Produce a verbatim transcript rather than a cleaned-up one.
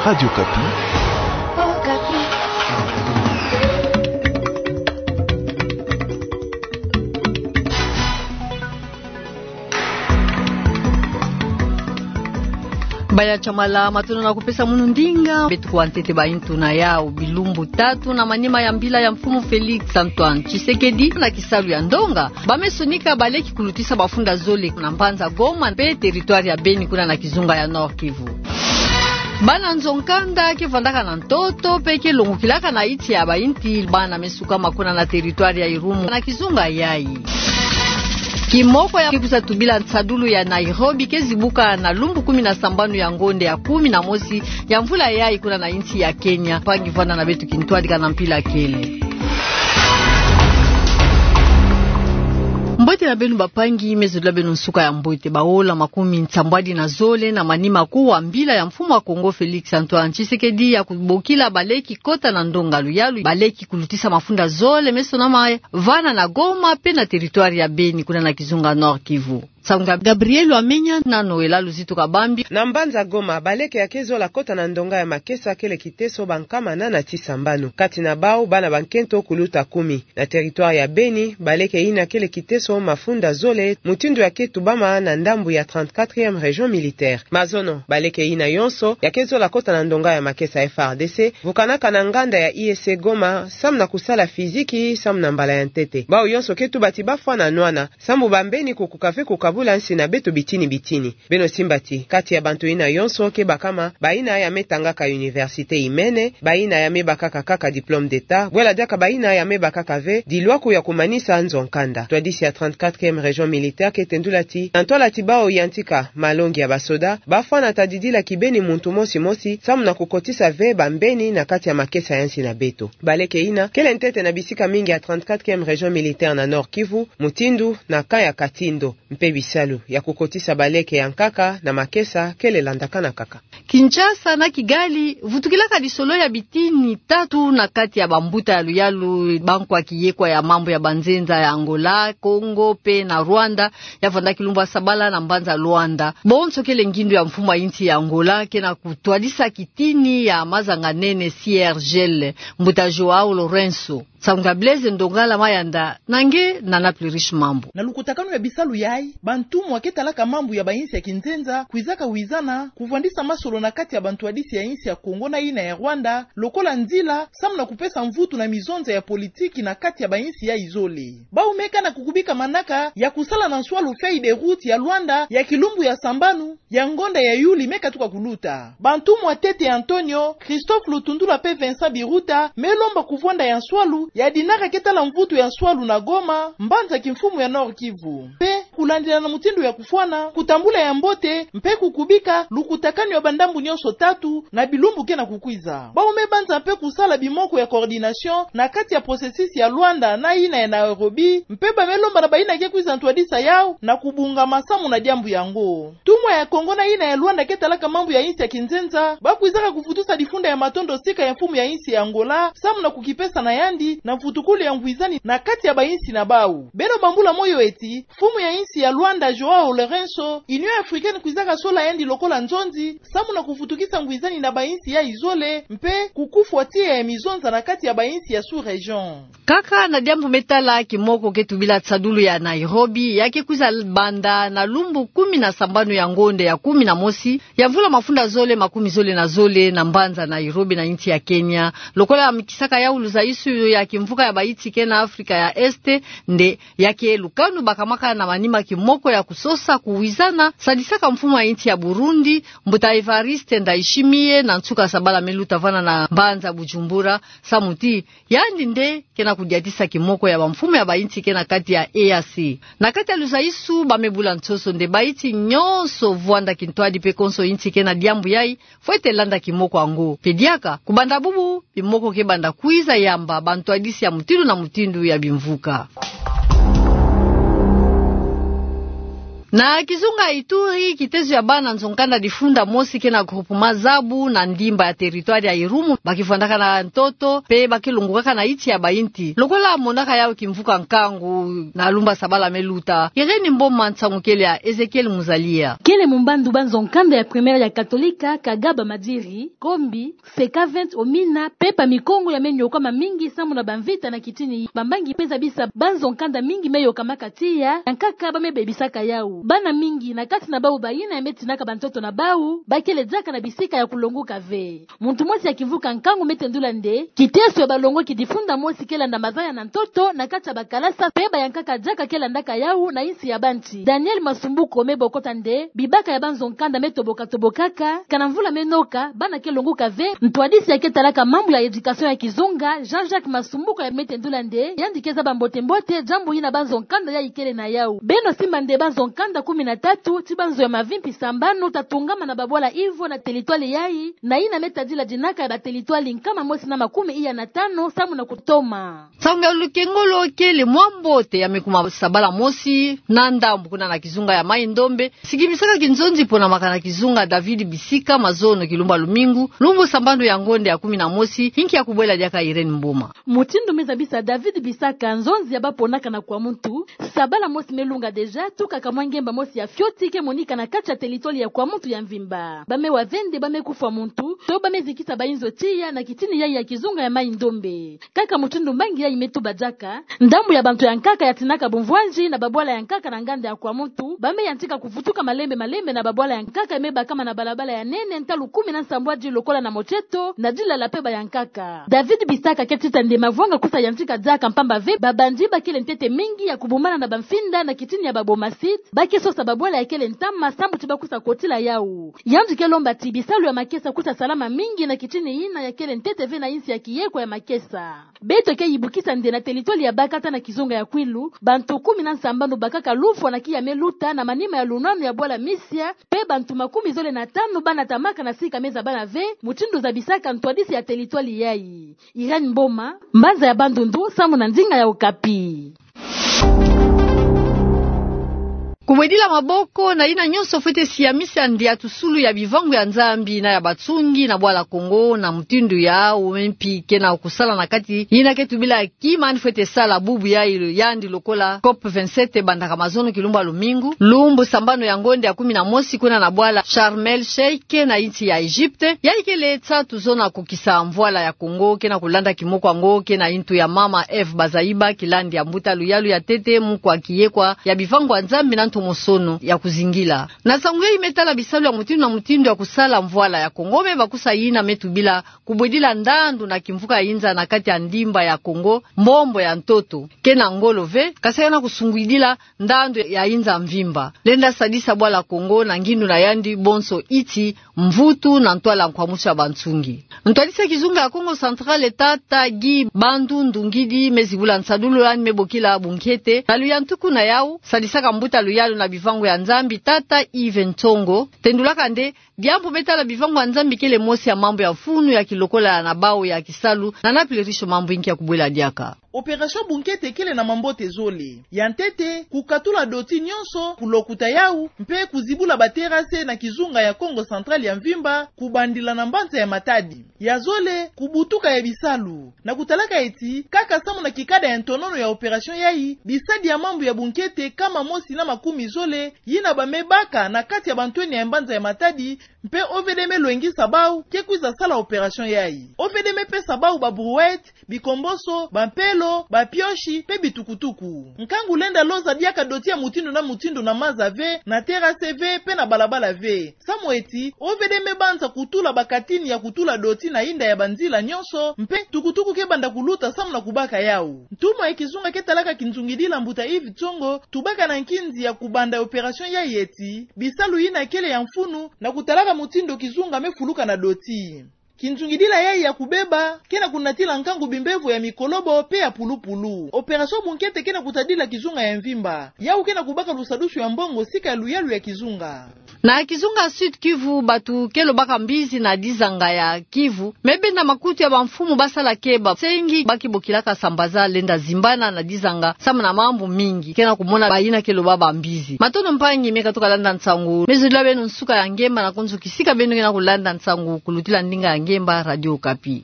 Radio Okapi. Baya Tshamala, matondo na kupesa munu ndinga. Beto kuwa ntete ba yintu na yau. Bilumbu tatu na manima ya mbila ya Mfumu Félix Antoine Tshisekedi na kisalu ya ndonga, ba me sonika baleki kulutisa mafunda zole na mbanza Goma mpe territoire ya Beni kuna na kizunga ya Nord-Kivu. Bana nzo-nkanda ke vandaka na ntoto mpe ke longokilaka na yinti ya bayinti, bana me sukama kuna na territoire ya Irumu na kizunga yayi. Kimoko ya ke kwiza tubila nsadulu ya Nairobi ke zibuka na lumbu kumi na sambanu ya ngonde ya kumi na mosi ya mvula yayi kuna na yinti ya Kenya. Mpangi, vanda na beto kintwadi ka na mpila kele. Mbote na beno bampangi, me zolila beno nsuka ya mbote. Baola makumi nsambwadi na zole na manima kuwa mbila ya Mfumu wa Kongo Félix Antoine Tshisekedi ya kubokila baleki kota na ndonga luyalu, baleki kulutisa mafunda zole me sonama vana na Goma mpe na territoire ya Beni kuna na kizunga Nord-Kivu. Nsangu ya Gabriel Wamenya na Noëlla Luzito Kabambi. Na mbanza Goma, baleke ya ke zola kota na ndonga ya makesa kele kiteso bankama nana ti sambanu. Kati na bau, bana bankento kuluta kumi. Na territoire ya Beni, baleke yina kele kiteso mafunda zole, mutindu ya ke tubama na ndambu ya trente-quatrième région militaire. Mazono, baleke yina yonso ya ke zola kota na ndonga ya makesa F A R D C, vukanaka na nganda ya I E C Goma, samu na kusala fiziki, samu na mbala ya ntete. Bau yonso ke tuba ti bafwa na nwana, sambu bambeni kukuka ve kukabula nsi na beto bitini bitini. Beno simba ti, kati ya bantu yina yonso ke bakama, bayina ya me tangaka université imene, bayina ya me bakaka kaka diplôme d'État, bwela diaka bayina ya me bakaka ve dilwaku ya kumanisa nzo-nkanda. Ntwadisi ya trente-quatrième région militaire ke tendula ti, na ntwala ti bau yantika malongi ya basoda, bafwa na tadidila kibeni muntu mosi mosi, samu na kukotisa ve bambeni na kati ya makesa ya nsi na beto. Baleke yina kele ntete na bisika mingi ya trente-quatrième région militaire na Nord-Kivu, mutindu na camp ya Katindo, mpe bisalu ya kukotisa baleke ya nkaka na makesa kele landakana kaka. Kinshasa na Kigali, vutukilaka lisolo ya bitini tatu na kati ya bambuta ya luyalu, bankwa kiyekwa ya mambu ya banzenza ya Angola, Congo mpe na Rwanda, ya vandaki lumbu ya sabala na mbanza Luanda. Bonso kele ngindu ya mfumu ya yinsi ya Angola ke na kutwadisa kitini ya mazanga-nene C R G L, mbuta João Lourenço. Nsangu ya Blaise Ndongala Mayanda, na nge Nana Plurish Mambu. Na lukutakanu ya bisalu yayi, bantumwa ke talaka mambu ya bayinsi ya kinzenza kwizaka wizana kuvwandisa masolo na kati ya bantwadisi ya yinsi ya Congo na yina ya Rwanda, lokola nzila samu na kupesa mvutu na mizonza ya politiki na kati ya bayinsi yayi zole. Bau me kana kukubika manaka ya kusala na nswalu feuille de route ya Luanda ya kilumbu ya sambanu ya ngonda ya Yuli me katuka kuluta. Bantumwa ntete Antonio, Christophe Lutundula mpe Vincent Biruta me lomba kuvwanda ya nswalu ya dinara ke tala mvutu ya nswalu na Goma, mbanza kimfumu ya Nord-Kivu. Mpe kulandila na mutindu ya kufwana, kutambula ya mbote mpe kukubika lukutakanu ya bandambu nyonso tatu na bilumbu ke na kukwiza. Bau me banza mpe kusala bimoko ya coordination na kati ya processus ya Luanda na yina ya Nairobi, mpe ba me lomba na bayina ke kwiza ntwadisa yau na kubunga masamu na diambu yango. Ntumwa ya Congo na yina ya Luanda ke talaka mambu ya yinsi ya kinzenza, ba kwizaka kuvutusa difunda ya matondo sika ya mfumu ya yinsi ya Angola, samu na kukipesa na yandi na mvutukulu ya ngwizani na kati ya bayinsi na bau. Beno bambula moyo ti, mfumu ya yinsi ya Luanda João Lourenço, Union Africaine kwizaka sola yandi lokola nzonzi, samu na kuvutukisa ngwizani na bayinsi yayi zole, mpe kukufwa tiya ya mizonza na kati ya bayinsi ya sous-région. Kaka na diambu me tala kimoko ke tubila nsadulu ya Nairobi, ya ke kwiza banda na lumbu kumi na sambanu ya ngonda ya kumi na mosi ya mvula mafunda zole makumi zole na zole na mbanza Nairobi na yinsi ya Kenya, lokola ya mikisaka yau luzaisu ya kimvuka ya bayinsi ke na Afrika ya Est, nde ya ke lukanu bakamaka na manima kimoko ya kusosa kuwizana sadisaka mfumu ya yinsi ya Burundi, mbuta Evariste Ndayishimiye, na nsuka sabala me luta vana na mbanza Bujumbura, samu ti yandi nde ke na kudiatisa kimoko ya bamfumu ya bayinsi ke na kati ya E A C. Na kati ya luzaisu, ba me bula nsoso nde bayinsi nyonso vwanda kintwadi mpe konso yinsi ke na diambu yayi fwete landa kimoko yango. Mpe diaka, kubanda bubu, bimoko ke banda kwiza yamba bantwadisi ya mutindu na mutindu ya bimvuka. Na kizunga Ituri, kitezo ya bana nzo-nkanda difunda mosi ke na groupement Zabu na ndimba ya territoire ya Irumu, bakivwandaka na ntoto, pe bakilongokaka na iti ya bainti. Lokola monaka yau kimvuka nkangu na lumbu sabala me luta. Irène Mboma, nsangu kele ya Ezekiel Muzalia. Kele mumbandu ba nzo-nkanda ya primaire ya Katolika, Kagaba Madiri, Kombi, Sekavent Omina, pepa mikongo ya me nyokama mingi samu na bamvita na kitini. Bambangi pe zabisa ba nzo-nkanda mingi me yokamaka tiya, ya nkaka ba me bebisaka yau. Bana mingi, na kati na bau bayina ya me tinaka bantoto na bau, bakele diaka na bisika ya kulongoka ve. Muntu mosi ya kimvuka nkangu me tendula nde, kiteso ya balongoki difunda mosi ke landa mazaya na ntoto, na kati ya bakalasa, pe ba ya nkaka diaka ke landaka yau na insi ya bantu. Daniel Masumbuko me bokota nde, bibaka ya ba nzo-nkanda me toboka-tobokaka, kana mvula me noka, bana ke longoka ve. Ntwadisi ya ke talaka mambu ya éducation ya kizunga, Jean-Jacques Masumbuko ya me tendula nde, yandi ke zaba mbote-mbote diambu yina ba nzo-nkanda ya ikele na yau. Beno simba nde ba nzo-nkanda kumi na tatu, ti ba nzo ya mavimpi sambanu, ta tungama na babwala ivo na territoire yayi, na yina me tadila dinaka ya ba territoire nkama mosi na makumi iya na tanu, samu na kutoma. Nsangu ya lukengolo kele mwa mbote ya me kuma sabala mosi na ndambu kuna na kizunga ya Mai-Ndombe, sikimisaka kinzonzi pona makana kizunga David Bisika mazono kilumbu ya lumingu, lumbu sambanu ya ngonde ya kumi na mosi, yinki ya kubwela diaka Irène Mboma. Mutindu me zabisa David Bisaka nzonzi ya ba ponaka na Kwamuntu, sabala mosi me lunga déjà, tuka ka mwa ngemba mosi ya fioti ke monika na kati ya territoire ya Kwamuntu ya mvimba. Ba me wa ve nde ba me kufwa muntu, to ba me zikisa bayinzo tiya na kitini yayi ya kizunga ya Mai-Ndombe. Kaka mutindu mbangi yayi me tuba diaka, ndambu ya bantu ya nkaka ya tinaka bumvwanzi na babwala ya nkaka na nganda ya Kwamuntu, ba me yantika kuvutuka malembe-malembe na babwala ya nkaka ya me bakama na balabala ya nene ntalu kumi na nsambwadi lokola na Motieto, na Dilala pe ba ya nkaka. David Bisaka ke tita nde mavwanga kusa yantika diaka mpamba ve, babandi bakele ntete mingi ya kubumana na bamfinda na kitini ya ba Bomasite, ba ke sosa babwala ya kele ntama sambu ti ba kusa kotila yau. Yandi ke lomba ti bisalu ya makesa kusa salama mingi na kitini yina ya kele ntete ve na insi ya kiyekwa ya makesa. Beto ke yibukisa nde na territoire ya Bakata na kizunga ya Kwilu, bantu kumi na nsambanu bakaka lufwa na kiya me luta na manima ya lunwanu ya bwala Misia, pe bantu makumi zole na tanu banatamaka na sika me zabana ve, mutindu zabisaka ntwadisi ya territoire yayi. Irène Mboma, mbanza ya Bandundu, samu na ndinga ya Okapi. Kubwedila maboko na yina nyonso fwete siamisa ndiatusulu ya bivangu ya Nzambi na ya batsungi na bwala Kongo na mutindu ya wempi ke na kusala na kati yina ke tubila ki mani fwete sala bubu ya ilo yandi lokola COP vingt-sept bandaka mazono kilumbu ya lumingu, lumbu sambanu ya ngonde ya kumi na mosi kuna na bwala Sharm el Sheikh na insi ya Egypte. Yayi kele nsatu zona kukisa mvwala ya Kongo ke na kulanda kimoko yango ke na yintu ya mama Eve Bazaiba, kilandi ya mbuta luyalu ya ntete, mukwa kiyekwa ya bivangu ya Nzambi na ntomosono ya kuzingila. Na nsangu yayi me tala bisalu ya mutindu na mutindu ya kusala mvwala ya Kongo, me bakusa yina me tubila kubwedila ndandu na kimvuka ya inza na kati ya ndimba ya Kongo, mbombo ya ntoto, ke na ngolo ve, kasi ke na kusungwidila ndandu ya inza mvimba. Lenda sadisa bwala Kongo na ngindu na yandi bonso iti, mvutu na ntwala nkwamusu ya bansungi. Ntwadisi ya kizunga ya Kongo Central, tata Guy Bandundu Nguidi, me zibula nsadulu yandi me bokila bunkete na luyantuku na yau, sadisaka mbuta luyalu na bivangu ya Nzambi, tata Yves Ntsongo, tendulaka nde, diambu me tala bivangu ya Nzambi kele mosi ya mambu ya mfunu ya kilokola na bau ya kisalu, na napili riso mambu yinki ya kubwela diaka. Opération bunkete kele na mambote zole. Ya ntete, kukatula doti nyonso, kulokuta yau, mpe kuzibula ba terrasse na kizunga ya Kongo Central ya mvimba, kubandila na mbanza ya Matadi. Ya zole, kubutuka ya bisalu. Na kutalaka eti, kaka samu na kikada ya ntonono ya opération yayi, bisadi ya mambu ya bunkete kama mosi na makumi zole, yina ba me baka na kati ya bantwenia ya mbanza ya Matadi, mpe O V D me lwengisa bau ke kwiza sala opération yayi. O V D me pesa bau ba brouette, bikomboso, bampelo, bapioshi, mpe bitukutuku. Nkangu lenda loza diaka doti ya mutindu na mutindu na maza ve, na terrasse ve, mpe na balabala ve. Samu eti, O V D me banza kutula ba katini ya kutula doti na inda ya banzila nyonso, mpe tukutuku ke banda kuluta samu na kubaka yau. Ntumwa ya kizunga ke talaka kinzungidila mbuta Yves Ntsongo, tubaka na nkinzi ya kubanda opération yayi eti, bisalu yina kele ya mfunu, na kutalaka mutindu kizunga me fuluka na doti. Kinzungidila yayi ya kubeba, ke na kunatila nkangu bimbevo ya mikolobo mpe ya pulupulu. Opération bunkete ke na kutadila kizunga ya mvimba. Yau ke na kubaka lusadusu ya mbongo sika ya luyalu ya kizunga. Na kizunga Sud-Kivu, bato ke lobaka mbizi na dizanga ya Kivu, me bena makutu ya bamfumu basala ke basengi ba ki bokilaka sambaza lenda zimbana na dizanga, samu na mambu mingi ke na kumona bayina ke loba bambizi. Matondo mpangi me katuka landa nsangu. Me zolila beno nsuka ya ngemba, na konzo kisika beno ke na kulanda nsangu kulutila ndinga ya ngemba Radio Okapi.